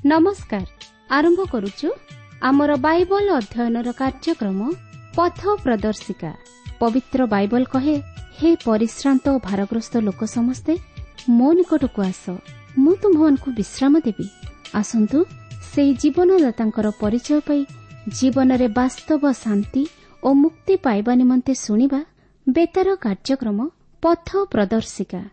ନମସ୍କାର। ଆରମ୍ଭ କରୁଛୁ ଆମର ବାଇବଲ ଅଧ୍ୟୟନର କାର୍ଯ୍ୟକ୍ରମ ପଥ ପ୍ରଦର୍ଶିକା। ପବିତ୍ର ବାଇବଲ କହେ, ହେ ପରିଶ୍ରାନ୍ତ ଓ ଭାରଗ୍ରସ୍ତ ଲୋକ ସମସ୍ତେ ମୋ ନିକଟକୁ ଆସ, ମୁଁ ତୁମ୍ଭମାନଙ୍କୁ ବିଶ୍ରାମ ଦେବି। ଆସନ୍ତୁ ସେହି ଜୀବନଦାତାଙ୍କର ପରିଚୟ ପାଇ ଜୀବନରେ ବାସ୍ତବ ଶାନ୍ତି ଓ ମୁକ୍ତି ପାଇବା ନିମନ୍ତେ ଶୁଣିବା ବେତାର କାର୍ଯ୍ୟକ୍ରମ ପଥ ପ୍ରଦର୍ଶିକା।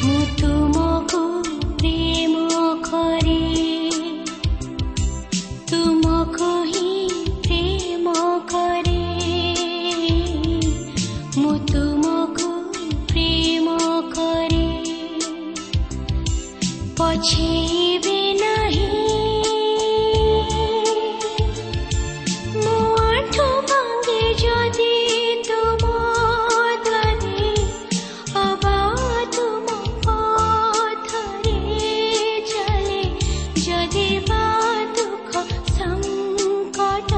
ମୁଁ ତୁମକୁ ପ୍ରେମ କରେ, ତୁମକୁ ହିଁ ପ୍ରେମ କରେ, ମୁଁ ତୁମକୁ ପ୍ରେମ କରେ, ପଛେଇବି ନାହିଁ। ମୋ ଆଣ୍ଠୁ ଭାଙ୍ଗେ ଯଦି ତୁମ ଦ୍ୱାରେ, ଅବା ତୁମ ପଥରେ ଚାଲେ, ଯଦି ବା ଦୁଃଖ ସଙ୍କଟ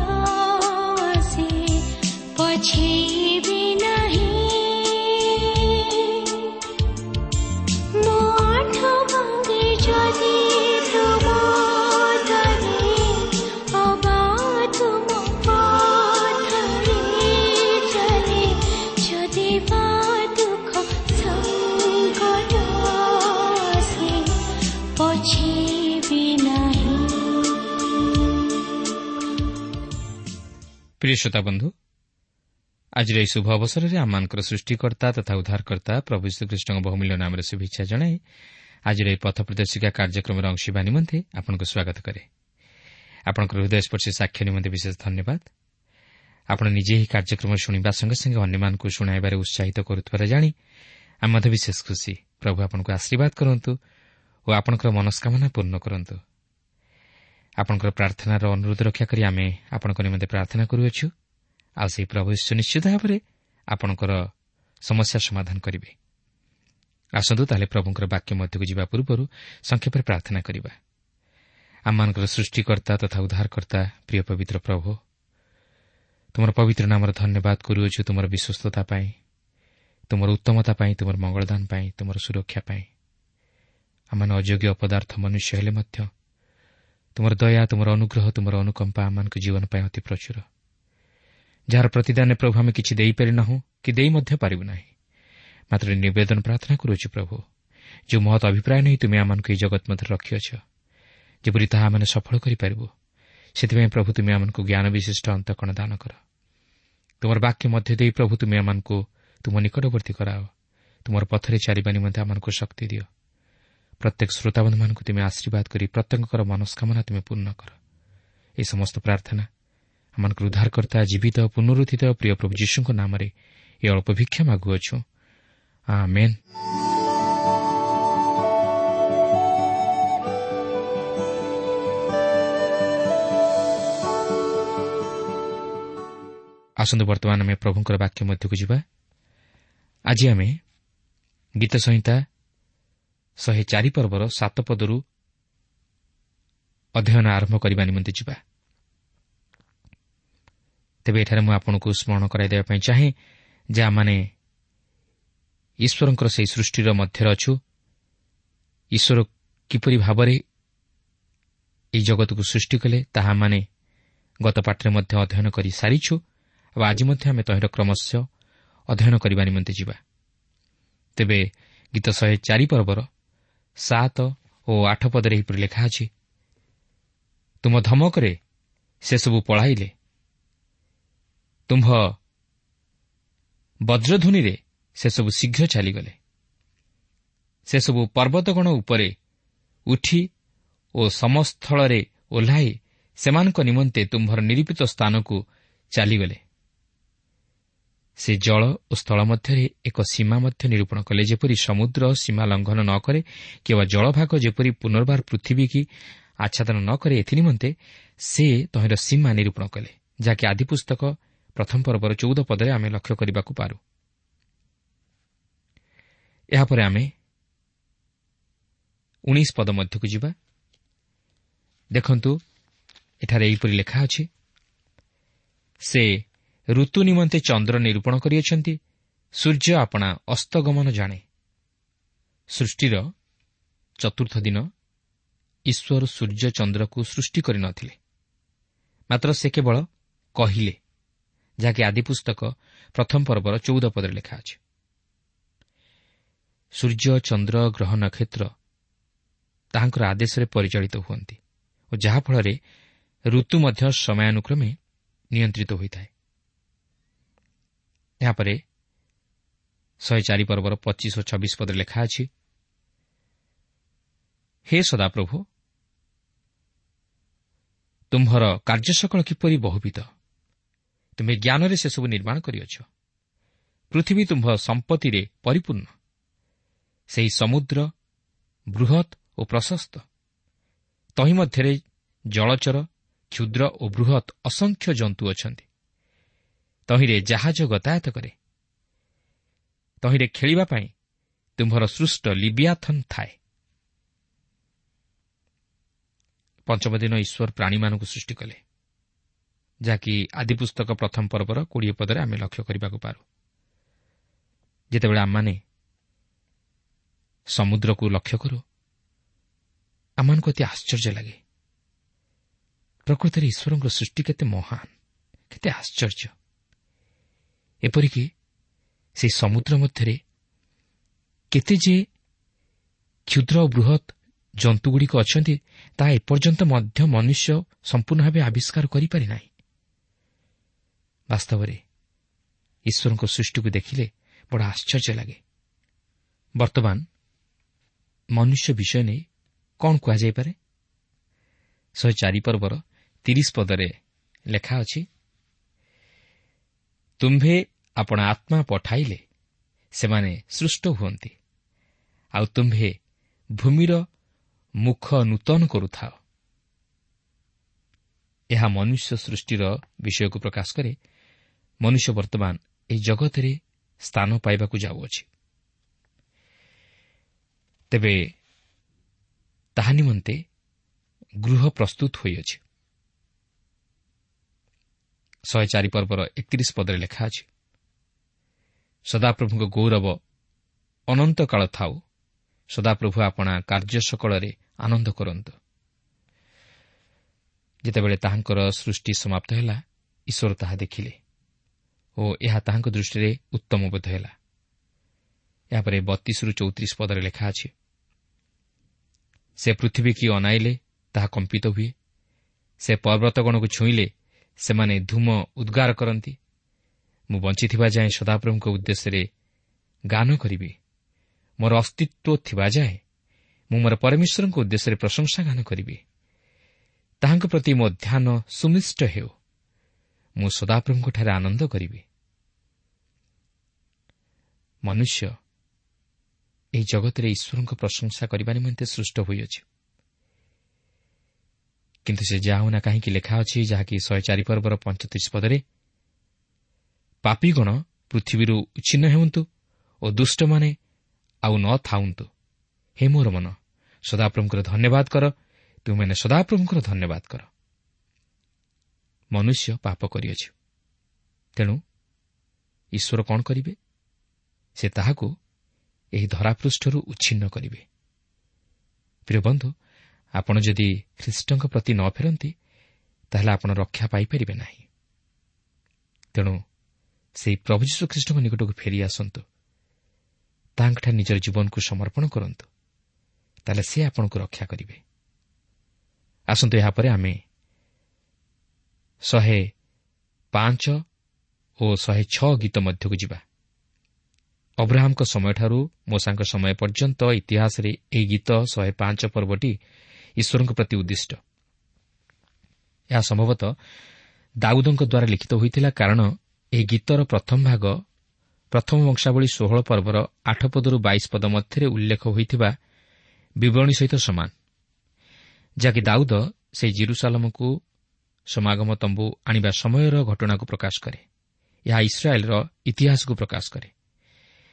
ଆସେ, ପଛେଇବି ନାହିଁ। ମୋ ଆଣ୍ଠୁ ଭାଙ୍ଗେ ଯଦି ତୁମ ଦ୍ୱାରେ, ଅବା ତୁମ ପଥରେ ଚାଲେ, ଯଦି ବା ଦୁଃଖ ସଙ୍କଟ ଆସେ, ପଛେଇବି ନାହିଁ। ପ୍ରିୟ ଶ୍ରୋତା ବନ୍ଧୁ, ଆଜିର ଏହି ଶୁଭ ଅବସରରେ ଆମମାନଙ୍କର ସୃଷ୍ଟିକର୍ତ୍ତା ତଥା ଉଦ୍ଧାରକର୍ତ୍ତା ପ୍ରଭୁ ଯୀଶୁଖ୍ରୀଷ୍ଟଙ୍କ ବହୁମୂଲ୍ୟ ନାମରେ ଶୁଭେଚ୍ଛା ଜଣାଇ ଆଜିର ଏହି ପଥ ପ୍ରଦର୍ଶିକା କାର୍ଯ୍ୟକ୍ରମର ଅଂଶ ହେବା ନିମନ୍ତେ ଆପଣଙ୍କୁ ସ୍ୱାଗତ କରେ। ଆପଣଙ୍କର ହୃଦୟସ୍ପର୍ଶୀ ସାକ୍ଷ୍ୟ ନିମନ୍ତେ ବିଶେଷ ଧନ୍ୟବାଦ। ଆପଣ ନିଜେ ଏହି କାର୍ଯ୍ୟକ୍ରମ ଶୁଣିବା ସଙ୍ଗେ ସଙ୍ଗେ ଅନ୍ୟମାନଙ୍କୁ ଶୁଣାଇବାରେ ଉତ୍ସାହିତ କରୁଥିବାର ଜାଣି ଆମେ ମଧ୍ୟ ବିଶେଷ ଖୁସି। ପ୍ରଭୁ ଆପଣଙ୍କୁ ଆଶୀର୍ବାଦ କରନ୍ତୁ ଓ ଆପଣଙ୍କର ମନସ୍କାମନା ପୂର୍ଣ୍ଣ କରନ୍ତୁ। ଆପଣଙ୍କର ପ୍ରାର୍ଥନାର ଅନୁରୋଧ ରକ୍ଷା କରି ଆମେ ଆପଣଙ୍କ ନିମନ୍ତେ ପ୍ରାର୍ଥନା କରୁଅଛୁ, ଆଉ ସେହି ପ୍ରଭୁ ଯୀଶୁ ନିଶ୍ଚିତ ଭାବରେ ଆପଣଙ୍କର ସମସ୍ୟା ସମାଧାନ କରିବେ। ଆସନ୍ତୁ ତାହେଲେ ପ୍ରଭୁଙ୍କର ବାକ୍ୟ ମଧ୍ୟକୁ ଯିବା ପୂର୍ବରୁ ସଂକ୍ଷେପରେ ପ୍ରାର୍ଥନା କରିବା। ଆମମାନଙ୍କର ସୃଷ୍ଟିକର୍ତ୍ତା ତଥା ଉଦ୍ଧାରକର୍ତ୍ତା ପ୍ରିୟ ପବିତ୍ର ପ୍ରଭୁ, ତୁମର ପବିତ୍ର ନାମର ଧନ୍ୟବାଦ କରୁଅଛୁ ତୁମର ବିଶ୍ୱସ୍ତତା ପାଇଁ, ତୁମର ଉତ୍ତମତା ପାଇଁ, ତୁମର ମଙ୍ଗଳଦାନ ପାଇଁ, ତୁମର ସୁରକ୍ଷା ପାଇଁ। ଆମମାନେ ଅଯୋଗ୍ୟ ଅପଦାର୍ଥ ମନୁଷ୍ୟ ହେଲେ ମଧ୍ୟ ତୁମର ଦୟା, ତୁମର ଅନୁଗ୍ରହ, ତୁମର ଅନୁକମ୍ପା ଆମମାନଙ୍କ ଜୀବନ ପାଇଁ ଅତି ପ୍ରଚୁର, ଯାହାର ପ୍ରତିଦାନରେ ପ୍ରଭୁ ଆମେ କିଛି ଦେଇପାରିନାହୁଁ କି ଦେଇ ମଧ୍ୟ ପାରିବୁ ନାହିଁ। ମାତ୍ର ନିବେଦନ ପ୍ରାର୍ଥନା କରୁଅଛୁ ପ୍ରଭୁ, ଯେଉଁ ମହତ୍ ଅଭିପ୍ରାୟ ନେଇ ତୁମେ ଆମମାନଙ୍କୁ ଏହି ଜଗତ ମଧ୍ୟରେ ରଖିଅଛ, ଯେପରି ତାହା ଆମେ ସଫଳ କରିପାରିବୁ, ସେଥିପାଇଁ ପ୍ରଭୁ ତୁମେ ଆମମାନଙ୍କୁ ଜ୍ଞାନ ବିଶିଷ୍ଟ ଅନ୍ତଃକରଣ ଦାନ କର। ତୁମର ବାକ୍ୟ ମଧ୍ୟ ଦେଇ ପ୍ରଭୁ ତୁମେ ଆମମାନଙ୍କୁ ତୁମ ନିକଟବର୍ତ୍ତୀ କରାଅ, ତୁମର ପଥରେ ଚାଲିବା ନିମନ୍ତେ ଆମମାନଙ୍କୁ ଶକ୍ତି ଦିଅ। ପ୍ରତ୍ୟେକ ଶ୍ରୋତାବନ୍ଧୁମାନଙ୍କୁ ତୁମେ ଆଶୀର୍ବାଦ କରି ପ୍ରତ୍ୟେକଙ୍କର ମନସ୍କାମନା ତୁମେ ପୂର୍ଣ୍ଣ କର। ଏହି ସମସ୍ତ ପ୍ରାର୍ଥନା ଆମମାନଙ୍କର ଉଦ୍ଧାରକର୍ତ୍ତା ଜୀବିତ ପୁନରୁତ୍ଥିତ ପ୍ରିୟ ପ୍ରଭୁ ଯୀଶୁଙ୍କ ନାମରେ ଏ ଅଳ୍ପ ଭିକ୍ଷା ମାଗୁଅଛୁ, ଆମେନ୍। ଆସନ୍ତୁ ବର୍ତ୍ତମାନ ଆମେ ପ୍ରଭୁଙ୍କର ବାକ୍ୟ ମଧ୍ୟକୁ ଯିବା। ଆଜି ଆମେ ଗୀତ ସଂହିତା 104 ପର୍ବର 7 ପଦରୁ ଅଧ୍ୟୟନ ଆରମ୍ଭ କରିବା ନିମନ୍ତେ ଯିବା। ତେବେ ଏଠାରେ ମୁଁ ଆପଣଙ୍କୁ ସ୍ମରଣ କରାଇ ଦେବା ପାଇଁ ଚାହେଁ ଯେ ଆମମାନେ ଈଶ୍ୱରଙ୍କର ସେହି ସୃଷ୍ଟିର ମଧ୍ୟରେ ଅଛୁ। ଈଶ୍ୱର କିପରି ଭାବରେ ଏହି ଜଗତକୁ ସୃଷ୍ଟି କଲେ ତାହା ଆମମାନେ ଗତ ପାଠରେ ମଧ୍ୟ ଅଧ୍ୟୟନ କରି ସାରିଛୁ, ଆଉ ଆଜି ମଧ୍ୟ ଆମେ ତହିଁର କ୍ରମଶଃ ଅଧ୍ୟୟନ କରିବା ନିମନ୍ତେ ଯିବା। ତେବେ ଗୀତ 104 ପର୍ବର 7 ଓ 8 ପଦରେ ଏହିପରି ଲେଖା ଅଛି, ତୁମ ଧମକରେ ସେସବୁ ପଳାଇଲେ, ତୁମ୍ଭ ବଜ୍ରଧ୍ୱନିରେ ସେସବୁ ଶୀଘ୍ର ଚାଲିଗଲେ। ସେସବୁ ପର୍ବତଗଣ ଉପରେ ଉଠି ଓ ସମସ୍ଥଳରେ ଓହ୍ଲାଇ ସେମାନଙ୍କ ନିମନ୍ତେ ତୁମ୍ଭର ନିରୂପିତ ସ୍ଥାନକୁ ଚାଲିଗଲେ। ସେ ଜଳ ଓ ସ୍ଥଳ ମଧ୍ୟରେ ଏକ ସୀମା ମଧ୍ୟ ନିରୂପଣ କଲେ, ଯେପରି ସମୁଦ୍ର ସୀମା ଲଙ୍ଘନ ନ କରେ କିମ୍ବା ଜଳଭାଗ ଯେପରି ପୁନର୍ବାର ପୃଥିବୀକି ଆଚ୍ଛାଦନ ନ କରେ, ଏଥିନିମନ୍ତେ ସେ ତହିଁର ସୀମା ନିରୂପଣ କଲେ, ଯାହାକି ଆଦିପୁସ୍ତକ ପ୍ରଥମ ପର୍ବର 14 ପଦରେ ଆମେ ଲକ୍ଷ୍ୟ କରିବାକୁ ପାରୁ। ଏହାପରେ ଆମେ 19 ପଦ ମଧ୍ୟକୁ ଯିବା। ଦେଖନ୍ତୁ, ଏଠାରେ ଏହିପରି ଲେଖା ଅଛି, ସେ ଋତୁ ନିମନ୍ତେ ଚନ୍ଦ୍ର ନିରୂପଣ କରିଅଛନ୍ତି, ସୂର୍ଯ୍ୟ ଆପଣା ଅସ୍ତଗମନ ଜାଣେ। ସୃଷ୍ଟିର ଚତୁର୍ଥ ଦିନ ଈଶ୍ୱର ସୂର୍ଯ୍ୟ ଚନ୍ଦ୍ରକୁ ସୃଷ୍ଟି କରିନଥିଲେ, ମାତ୍ର ସେ କେବଳ କହିଲେ, ଯାହାକି ଆଦିପୁସ୍ତକ ପ୍ରଥମ ପର୍ବର 14 ପଦରେ ଲେଖା ଅଛି। ସୂର୍ଯ୍ୟ, ଚନ୍ଦ୍ର, ଗ୍ରହ, ନକ୍ଷତ୍ର ତାହାଙ୍କର ଆଦେଶରେ ପରିଚାଳିତ ହୁଅନ୍ତି ଓ ଯାହାଫଳରେ ଋତୁ ମଧ୍ୟ ସମୟାନୁକ୍ରମେ ନିୟନ୍ତ୍ରିତ ହୋଇଥାଏ। ଏହାପରେ 104 ପର୍ବର 25 ଓ 26 ପଦରେ ଲେଖା ଅଛି, ହେ ସଦାପ୍ରଭୁ, ତୁମ୍ଭର କାର୍ଯ୍ୟସକଳ କିପରି ବହୁବିଧ! ତୁମେ ଜ୍ଞାନରେ ସେସବୁ ନିର୍ମାଣ କରିଅଛ। ପୃଥିବୀ ତୁମ୍ଭ ସମ୍ପତ୍ତିରେ ପରିପୂର୍ଣ୍ଣ। ସେହି ସମୁଦ୍ର ବୃହତ୍ ଓ ପ୍ରଶସ୍ତ, ତହିଁ ମଧ୍ୟରେ ଜଳଚର, କ୍ଷୁଦ୍ର ଓ ବୃହତ୍ ଅସଂଖ୍ୟ ଜନ୍ତୁ ଅଛନ୍ତି। ତହିଁରେ ଜାହାଜ ଗତାୟତ କରେ, ତହିଁରେ ଖେଳିବା ପାଇଁ ତୁମ୍ଭର ସୃଷ୍ଟ ଲିବିଆଥନ୍ ଥାଏ। ପଞ୍ଚମ ଦିନ ଈଶ୍ୱର ପ୍ରାଣୀମାନଙ୍କୁ ସୃଷ୍ଟି କଲେ, ଯାହାକି ଆଦିପୁସ୍ତକ ପ୍ରଥମ ପର୍ବର 20 ପଦରେ ଆମେ ଲକ୍ଷ୍ୟ କରିବାକୁ ପାରୁ। ଯେତେବେଳେ ଆମମାନେ ସମୁଦ୍ରକୁ ଲକ୍ଷ୍ୟ କରୁ, ଆମମାନଙ୍କୁ ଅତି ଆଶ୍ଚର୍ଯ୍ୟ ଲାଗେ। ପ୍ରକୃତରେ ଈଶ୍ୱରଙ୍କ ସୃଷ୍ଟି କେତେ ମହାନ, କେତେ ଆଶ୍ଚର୍ଯ୍ୟ। ଏପରିକି ସେହି ସମୁଦ୍ର ମଧ୍ୟରେ କେତେ ଯେ କ୍ଷୁଦ୍ର ଓ ବୃହତ୍ ଜନ୍ତୁଗୁଡ଼ିକ ଅଛନ୍ତି, ତାହା ଏପର୍ଯ୍ୟନ୍ତ ମଧ୍ୟ ମନୁଷ୍ୟ ସମ୍ପୂର୍ଣ୍ଣ ଭାବେ ଆବିଷ୍କାର କରିପାରି ନାହିଁ। ବାସ୍ତବରେ ଈଶ୍ୱରଙ୍କ ସୃଷ୍ଟିକୁ ଦେଖିଲେ ବଡ଼ ଆଶ୍ଚର୍ଯ୍ୟ ଲାଗେ। ବର୍ତ୍ତମାନ ମନୁଷ୍ୟ ବିଷୟ ନେଇ କ'ଣ କୁହାଯାଇପାରେ? 104 ପର୍ବର 30 ପଦରେ ଲେଖା ଅଛି, ତୁମ୍ଭେ ଆପଣା ଆତ୍ମା ପଠାଇଲେ ସେମାନେ ସୃଷ୍ଟ ହୁଅନ୍ତି, ଆଉ ତୁମ୍ଭେ ଭୂମିର ମୁଖ ନୂତନ କରୁଥାଅ। ଏହା ମନୁଷ୍ୟ ସୃଷ୍ଟିର ବିଷୟକୁ ପ୍ରକାଶ କରେ। ମନୁଷ୍ୟ ବର୍ତ୍ତମାନ ଏହି ଜଗତରେ ସ୍ଥାନ ପାଇବାକୁ ଯାଉଅଛି। ତେବେ ତାହା ନିମନ୍ତେ ଗୃହ ପ୍ରସ୍ତୁତ ହୋଇଅଛି। 104 ପର୍ବର 31 ପଦରେ ଲେଖା ଅଛି, ସଦାପ୍ରଭୁଙ୍କ ଗୌରବ ଅନନ୍ତକାଳ ଥାଉ, ସଦାପ୍ରଭୁ ଆପଣା କାର୍ଯ୍ୟ ସକଳରେ ଆନନ୍ଦ କରନ୍ତୁ। ଯେତେବେଳେ ତାହାଙ୍କର ସୃଷ୍ଟି ସମାପ୍ତ ହେଲା, ଈଶ୍ୱର ତାହା ଦେଖିଲେ ଓ ଏହା ତାହାଙ୍କ ଦୃଷ୍ଟିରେ ଉତ୍ତମ ବୋଧ ହେଲା। ଏହାପରେ 32ରୁ 34 ପଦରେ ଲେଖା ଅଛି, ସେ ପୃଥିବୀକି ଅନାଇଲେ ତାହା କମ୍ପିତ ହୁଏ, ସେ ପର୍ବତଗଣକୁ ଛୁଇଁଲେ ସେମାନେ ଧୂମ ଉଦ୍ଗାର କରନ୍ତି। ମୁଁ ବଞ୍ଚିଥିବା ଯାଏଁ ସଦାପ୍ରଭୁଙ୍କ ଉଦ୍ଦେଶ୍ୟରେ ଗାନ କରିବି, ମୋର ଅସ୍ତିତ୍ୱ ଥିବା ଯାଏଁ ମୁଁ ମୋର ପରମେଶ୍ୱରଙ୍କ ଉଦ୍ଦେଶ୍ୟରେ ପ୍ରଶଂସା ଗାନ କରିବି। ତାହାଙ୍କ ପ୍ରତି ମୋ ଧ୍ୟାନ ସୁନିଷ୍ଠ ହେଉ, ମୁଁ ସଦାପ୍ରଭୁଙ୍କଠାରେ ଆନନ୍ଦ କରିବି। ମନୁଷ୍ୟ ଏହି ଜଗତରେ ଈଶ୍ୱରଙ୍କ ପ୍ରଶଂସା କରିବା ନିମନ୍ତେ ସୃଷ୍ଟ ହୋଇଅଛି, କିନ୍ତୁ ସେ ଯାହା ହେଉନା କାହିଁକି ଲେଖା ଅଛି, ଯାହାକି 104 ପର୍ବର 35 ପଦରେ, ପାପୀଗଣ ପୃଥିବୀରୁ ଉଚ୍ଛିନ୍ନ ହେଉନ୍ତୁ ଓ ଦୁଷ୍ଟମାନେ ଆଉ ନ ଥାଉନ୍ତୁ। ହେ ମୋର ମନ, ସଦାପ୍ରଭୁଙ୍କର ଧନ୍ୟବାଦ କର, ତୁମେମାନେ ସଦାପ୍ରଭୁଙ୍କର ଧନ୍ୟବାଦ କର। ମନୁଷ୍ୟ ପାପ କରିଅଛି, ତେଣୁ ଈଶ୍ୱର କ'ଣ କରିବେ? ସେ ତାହାକୁ ଏହି ଧରାପୃଷ୍ଠରୁ ଉଚ୍ଛିନ୍ନ କରିବେ। ପ୍ରିୟ ବନ୍ଧୁ, ଆପଣ ଯଦି ଖ୍ରୀଷ୍ଟଙ୍କ ପ୍ରତି ନ ଫେରନ୍ତି, ତାହେଲେ ଆପଣ ରକ୍ଷା ପାଇପାରିବେ ନାହିଁ। ତେଣୁ ସେହି ପ୍ରଭୁ ଯୀଶୁ ଖ୍ରୀଷ୍ଟଙ୍କ ନିକଟକୁ ଫେରି ଆସନ୍ତୁ, ତାଙ୍କଠାରେ ନିଜର ଜୀବନକୁ ସମର୍ପଣ କରନ୍ତୁ, ତାହେଲେ ସେ ଆପଣଙ୍କୁ ରକ୍ଷା କରିବେ। ଆସନ୍ତୁ ଏହାପରେ ଆମେ 105 ଓ 106 ଗୀତ ମଧ୍ୟକୁ ଯିବା। ଅବ୍ରାହମଙ୍କ ସମୟଠାରୁ ମୋଶାଙ୍କ ସମୟ ପର୍ଯ୍ୟନ୍ତ ଇତିହାସରେ ଏହି ଗୀତ 105 ପର୍ବଟି ଈଶ୍ୱରଙ୍କ ପ୍ରତି ଉଦ୍ଦିଷ୍ଟ। ଏହା ସମ୍ଭବତଃ ଦାଉଦଙ୍କ ଦ୍ୱାରା ଲିଖିତ ହୋଇଥିଲା, କାରଣ ଏହି ଗୀତର ପ୍ରଥମ ଭାଗ ପ୍ରଥମ ବଂଶାବଳୀ 16 ପର୍ବର 8 ପଦରୁ 22 ପଦ ମଧ୍ୟରେ ଉଲ୍ଲେଖ ହୋଇଥିବା ବିବରଣୀ ସହିତ ସମାନ, ଯାହାକି ଦାଉଦ ସେହି ଜିରୁସାଲମକୁ ସମାଗମ ତମ୍ବୁ ଆଣିବା ସମୟର ଘଟଣାକୁ ପ୍ରକାଶ କରେ। ଏହା ଇସ୍ରାଏଲ୍ର ଇତିହାସକୁ ପ୍ରକାଶ କରେ।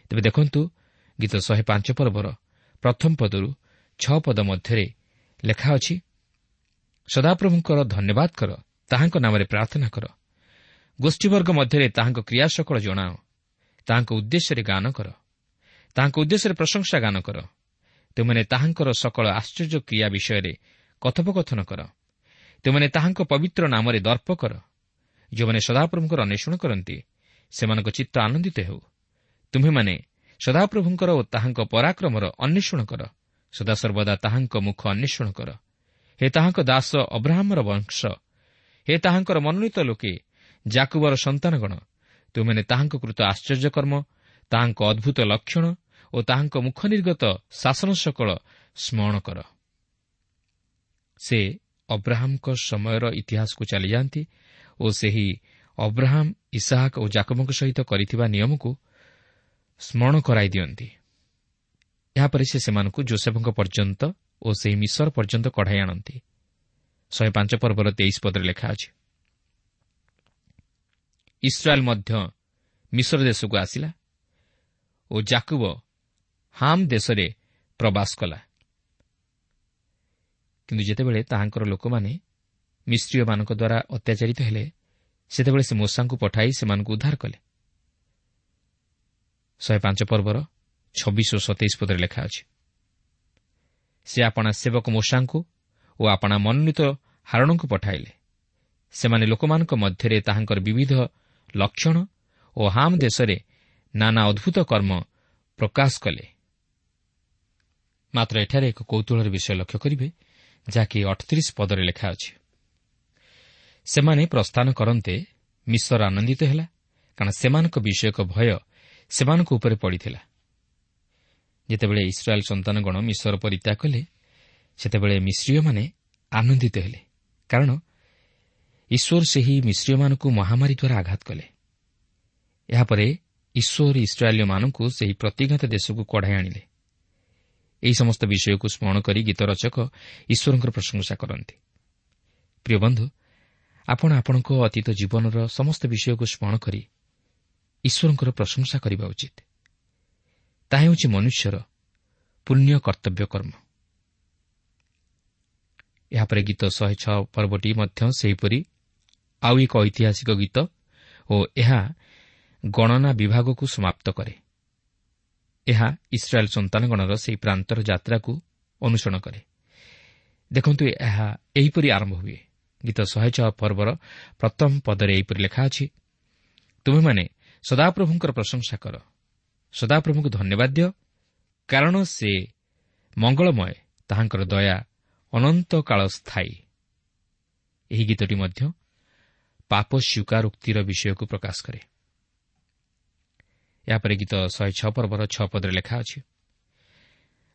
ତେବେ ଦେଖନ୍ତୁ, ଗୀତ 105 ପର୍ବର ପ୍ରଥମ ପଦରୁ 6 ପଦ ମଧ୍ୟରେ ଲେଖା ଅଛି, ସଦାପ୍ରଭୁଙ୍କର ଧନ୍ୟବାଦ କର, ତାହାଙ୍କ ନାମରେ ପ୍ରାର୍ଥନା କର, ଗୋଷ୍ଠୀବର୍ଗ ମଧ୍ୟରେ ତାହାଙ୍କ କ୍ରିୟା ସକଳ ଜଣାଅ, ତାହାଙ୍କ ଉଦ୍ଦେଶ୍ୟରେ ଗାନ କର, ତାହାଙ୍କ ଉଦ୍ଦେଶ୍ୟରେ ପ୍ରଶଂସା ଗାନ କର, ତୁମେମାନେ ତାହାଙ୍କର ସକଳ ଆଶ୍ଚର୍ଯ୍ୟ କ୍ରିୟା ବିଷୟରେ କଥୋପକଥନ କର, ତୁମେମାନେ ତାହାଙ୍କ ପବିତ୍ର ନାମରେ ଦର୍ପ କର। ଯେଉଁମାନେ ସଦାପ୍ରଭୁଙ୍କର ଅନ୍ୱେଷଣ କରନ୍ତି ସେମାନଙ୍କ ଚିତ୍ତ ଆନନ୍ଦିତ ହେଉ। ତୁମ୍ଭେମାନେ ସଦାପ୍ରଭୁଙ୍କର ଓ ତାହାଙ୍କ ପରାକ୍ରମର ଅନ୍ୱେଷଣ କର, ସଦାସର୍ବଦା ତାହାଙ୍କ ମୁଖ ଅନ୍ୱେଷଣ କର। ହେ ତାହାଙ୍କ ଦାସ ଅବ୍ରାହମର ବଂଶ, ହେ ତାହାଙ୍କର ମନୋନୀତ ଲୋକେ, ଯାକୁବର ସନ୍ତାନଗଣ, ତୁମେମାନେ ତାହାଙ୍କ କୃତ ଆଶ୍ଚର୍ଯ୍ୟକର୍ମ, ତାହାଙ୍କ ଅଦ୍ଭୁତ ଲକ୍ଷଣ ଓ ତାହାଙ୍କ ମୁଖ ନିର୍ଗତ ଶାସନ ସକଳ ସ୍ମରଣ କର। ସେ ଅବ୍ରାହମଙ୍କ ସମୟର ଇତିହାସକୁ ଚାଲିଯାଆନ୍ତି ଓ ସେହି ଅବ୍ରାହମ, ଇସାହାକ ଓ ଜାକବଙ୍କ ସହିତ କରିଥିବା ନିୟମକୁ ସ୍ମରଣ କରାଇ ଦିଅନ୍ତି। ଏହାପରେ ସେ ସେମାନଙ୍କୁ ଜୋସେଫଙ୍କ ପର୍ଯ୍ୟନ୍ତ ଓ ସେହି ମିଶର ପର୍ଯ୍ୟନ୍ତ କଢ଼ାଇ ଆଣନ୍ତି। 105 ପର୍ବର 23 ପଦରେ ଲେଖା ଅଛି, ଇସ୍ରାଏଲ୍ ମଧ୍ୟ ମିଶର ଦେଶକୁ ଆସିଲା ଓ ଜାକୁବ ହାମ୍ ଦେଶରେ ପ୍ରବାସ କଲା। କିନ୍ତୁ ଯେତେବେଳେ ତାହାଙ୍କର ଲୋକମାନେ ମିଶ୍ରୀୟମାନଙ୍କ ଦ୍ୱାରା ଅତ୍ୟାଚାରିତ ହେଲେ, ସେତେବେଳେ ସେ ମୋଶାଙ୍କୁ ପଠାଇ ସେମାନଙ୍କୁ ଉଦ୍ଧାର କଲେ। 105 ପର୍ବର 26 ଓ 27 ପଦରେ ଲେଖା ଅଛି, ସେ ଆପଣା ସେବକ ମୋଶାଙ୍କୁ ଓ ଆପଣା ମନୋନୀତ ହାରଣଙ୍କୁ ପଠାଇଲେ। ସେମାନେ ଲୋକମାନଙ୍କ ମଧ୍ୟରେ ତାହାଙ୍କର ବିବିଧ ଲକ୍ଷଣ ଓ ହାମ୍ ଦେଶରେ ନାନା ଅଦ୍ଭୁତ କର୍ମ ପ୍ରକାଶ କଲେ। ମାତ୍ର ଏଠାରେ ଏକ କୌତୂହଳର ବିଷୟ ଲକ୍ଷ୍ୟ କରିବେ, ଯାହାକି 38 ପଦରେ ଲେଖା ଅଛି, ସେମାନେ ପ୍ରସ୍ଥାନ କରନ୍ତେ ମିଶର ଆନନ୍ଦିତ ହେଲା, କାରଣ ସେମାନଙ୍କ ବିଷୟକ ଭୟ ସେମାନଙ୍କ ଉପରେ ପଡ଼ିଥିଲା। ଯେତେବେଳେ ଇସ୍ରାଏଲ୍ ସନ୍ତାନଗଣ ମିଶର ପରିତ୍ୟାଗ କଲେ, ସେତେବେଳେ ମିଶ୍ରୀୟମାନେ ଆନନ୍ଦିତ ହେଲେ, କାରଣ ଈଶ୍ୱର ସେହି ମିଶ୍ରୀୟମାନଙ୍କୁ ମହାମାରୀ ଦ୍ୱାରା ଆଘାତ କଲେ। ଏହାପରେ ଈଶ୍ୱର ଇସ୍ରାଏଲୀୟମାନଙ୍କୁ ସେହି ପ୍ରତିଜ୍ଞାତ ଦେଶକୁ କଢ଼ାଇ ଆଣିଲେ। ଏହି ସମସ୍ତ ବିଷୟକୁ ସ୍ମରଣ କରି ଗୀତ ରଚକ ଈଶ୍ୱରଙ୍କର ପ୍ରଶଂସା କରନ୍ତି। ପ୍ରିୟ ବନ୍ଧୁ, ଆପଣ ଆପଣଙ୍କ ଅତୀତ ଜୀବନର ସମସ୍ତ ବିଷୟକୁ ସ୍ମରଣ କରି ଈଶ୍ୱରଙ୍କର ପ୍ରଶଂସା କରିବା ଉଚିତ। ତାହା ହେଉଛି ମନୁଷ୍ୟର ପୁଣ୍ୟ କର୍ତ୍ତବ୍ୟ କର୍ମ। ଏହାପରେ ଗୀତ 106 ପର୍ବଟି ମଧ୍ୟ ସେହିପରି ଆଉ ଏକ ଐତିହାସିକ ଗୀତ ଓ ଏହା ଗଣନା ବିଭାଗକୁ ସମାପ୍ତ କରେ। ଏହା ଇସ୍ରାଏଲ୍ ସନ୍ତାନଗଣର ସେହି ପ୍ରାନ୍ତର ଯାତ୍ରାକୁ ଅନୁସରଣ କରେ। ଦେଖନ୍ତୁ, ଏହା ଏହିପରି ଆରମ୍ଭ ହୁଏ। ଗୀତ 106 ପର୍ବର ପ୍ରଥମ ପଦରେ ଏହିପରି ଲେଖା ଅଛି, ତୁମେମାନେ ସଦାପ୍ରଭୁଙ୍କର ପ୍ରଶଂସା କର, ସଦାପ୍ରଭୁଙ୍କୁ ଧନ୍ୟବାଦ ଦିଅ, କାରଣ ସେ ମଙ୍ଗଳମୟ, ତାହାଙ୍କର ଦୟା ଅନନ୍ତ କାଳ ସ୍ଥାୟୀ। ଏହି ଗୀତଟି ମଧ୍ୟ ପାପ ସ୍ୱୀକାରୋକ୍ତିର ବିଷୟକୁ ପ୍ରକାଶ କରେ। ଏହାପରେ ଗୀତ 106 ପର୍ବର 6 ପଦରେ ଲେଖା ଅଛି,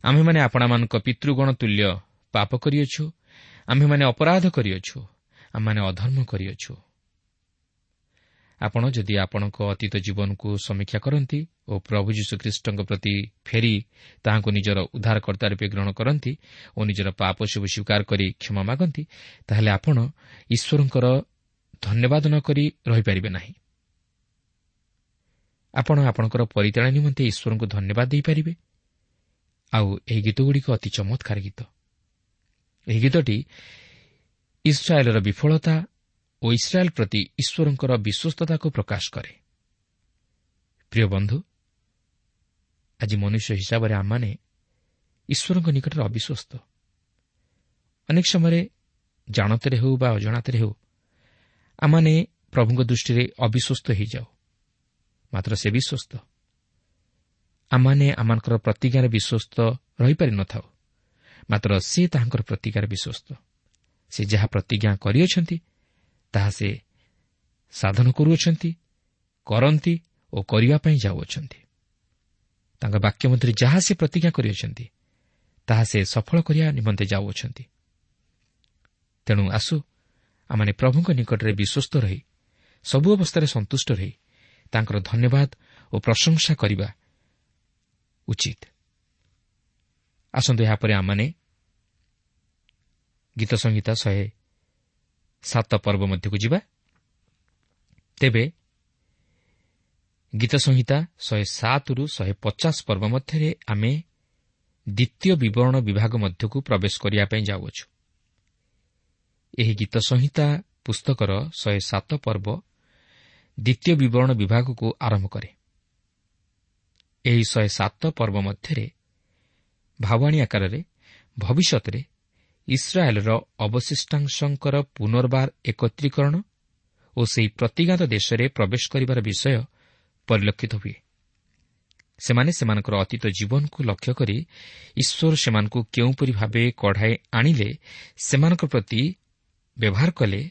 ଆମ୍ଭେମାନେ ଆପଣାମାନଙ୍କ ପିତୃଗଣ ତୁଲ୍ୟ ପାପ କରିଅଛୁ, ଆମ୍ଭେମାନେ ଅପରାଧ କରିଅଛୁ, ଆମମାନେ ଅଧର୍ମ କରିଅଛୁ। ଆପଣ ଯଦି ଆପଣଙ୍କ ଅତୀତ ଜୀବନକୁ ସମୀକ୍ଷା କରନ୍ତି ଓ ପ୍ରଭୁ ଯୀଶୁଖ୍ରୀଷ୍ଟଙ୍କ ପ୍ରତି ଫେରି ତାହାଙ୍କୁ ନିଜର ଉଦ୍ଧାରକର୍ତ୍ତା ରୂପେ ଗ୍ରହଣ କରନ୍ତି ଓ ନିଜର ପାପ ସବୁ ସ୍ୱୀକାର କରି କ୍ଷମା ମାଗନ୍ତି, ତାହେଲେ ଆପଣ ଈଶ୍ୱରଙ୍କର ଧନ୍ୟବାଦ ନ କରି ରହିପାରିବେ ନାହିଁ। ଆପଣ ଆପଣଙ୍କର ପରିତ୍ରାଣ ନିମନ୍ତେ ଈଶ୍ୱରଙ୍କୁ ଧନ୍ୟବାଦ ଦେଇପାରିବେ। ଆଉ ଏହି ଗୀତଗୁଡ଼ିକ ଅତି ଚମତ୍କାର ଗୀତ। ଏହି ଗୀତଟି ଇସ୍ରାଏଲର ବିଫଳତା ଓ ଇସ୍ରାଏଲ୍ ପ୍ରତି ଈଶ୍ୱରଙ୍କର ବିଶ୍ୱସ୍ତତାକୁ ପ୍ରକାଶ କରେ। ପ୍ରିୟ ବନ୍ଧୁ, ଆଜି ମନୁଷ୍ୟ ହିସାବରେ ଆମମାନେ ଈଶ୍ୱରଙ୍କ ନିକଟରେ ଅବିଶ୍ୱସ୍ତ। ଅନେକ ସମୟରେ ଜାଣତରେ ହେଉ ବା ଅଜାଣତରେ ହେଉ ଆମମାନେ ପ୍ରଭୁଙ୍କ ଦୃଷ୍ଟିରେ ଅବିଶ୍ୱସ୍ତ ହୋଇଯାଉ, ମାତ୍ର ସେ ବିଶ୍ୱସ୍ତ। ଆମମାନେ ଆମମାନଙ୍କର ପ୍ରତିଜ୍ଞାରେ ବିଶ୍ୱସ୍ତ ରହିପାରିନଥାଉ, ମାତ୍ର ସେ ତାହାଙ୍କର ପ୍ରତିଜ୍ଞାରେ ବିଶ୍ୱସ୍ତ। ସେ ଯାହା ପ୍ରତିଜ୍ଞା କରିଅଛନ୍ତି ତାହା ସେ ସାଧନ କରୁଅଛନ୍ତି, କରନ୍ତି ଓ କରିବା ପାଇଁ ଯାଉଅଛନ୍ତି। ତାଙ୍କ ବାକ୍ୟ ମଧ୍ୟରେ ଯାହା ସେ ପ୍ରତିଜ୍ଞା କରିଅଛନ୍ତି ତାହା ସେ ସଫଳ କରିବା ନିମନ୍ତେ ଯାଉଅଛନ୍ତି। ତେଣୁ ଆସୁ ଆମମାନେ ପ୍ରଭୁଙ୍କ ନିକଟରେ ବିଶ୍ୱସ୍ତ ରହି ସବୁ ଅବସ୍ଥାରେ ସନ୍ତୁଷ୍ଟ ରହି ତାଙ୍କର ଧନ୍ୟବାଦ ଓ ପ୍ରଶଂସା କରିବା ଉଚିତ। ଆସନ୍ତୁ ଏହାପରେ ଆମମାନେ ଗୀତ ସଂହିତା 107 ପର୍ବ ମଧ୍ୟକୁ ଯିବା। ତେବେ ଗୀତ ସଂହିତା 107ରୁ 150 ପର୍ବ ମଧ୍ୟରେ ଆମେ ଦ୍ୱିତୀୟ ବିବରଣ ବିଭାଗ ମଧ୍ୟକୁ ପ୍ରବେଶ କରିବା ପାଇଁ ଯାଉଅଛୁ। ଏହି ଗୀତ ସଂହିତା ପୁସ୍ତକର 107 ପର୍ବ ଦ୍ୱିତୀୟ ବିବରଣ ବିଭାଗକୁ ଆରମ୍ଭ କରେ। ଏହି 107 ପର୍ବ ମଧ୍ୟରେ ଭାବାଣୀ ଆକାରରେ ଭବିଷ୍ୟତରେ ଇସ୍ରାଏଲ୍ର ଅବଶିଷ୍ଟାଂଶଙ୍କର ପୁନର୍ବାର ଏକତ୍ରୀକରଣ ଓ ସେହି ପ୍ରତିଜ୍ଞାତ ଦେଶରେ ପ୍ରବେଶ କରିବାର ବିଷୟ ପରିଲକ୍ଷିତ ହୁଏ। ସେମାନେ ସେମାନଙ୍କର ଅତୀତ ଜୀବନକୁ ଲକ୍ଷ୍ୟ କରି ଈଶ୍ୱର ସେମାନଙ୍କୁ କେଉଁପରି ଭାବେ କଢ଼ାଇ ଆଣିଲେ, ସେମାନଙ୍କ ପ୍ରତି ବ୍ୟବହାର କଲେ,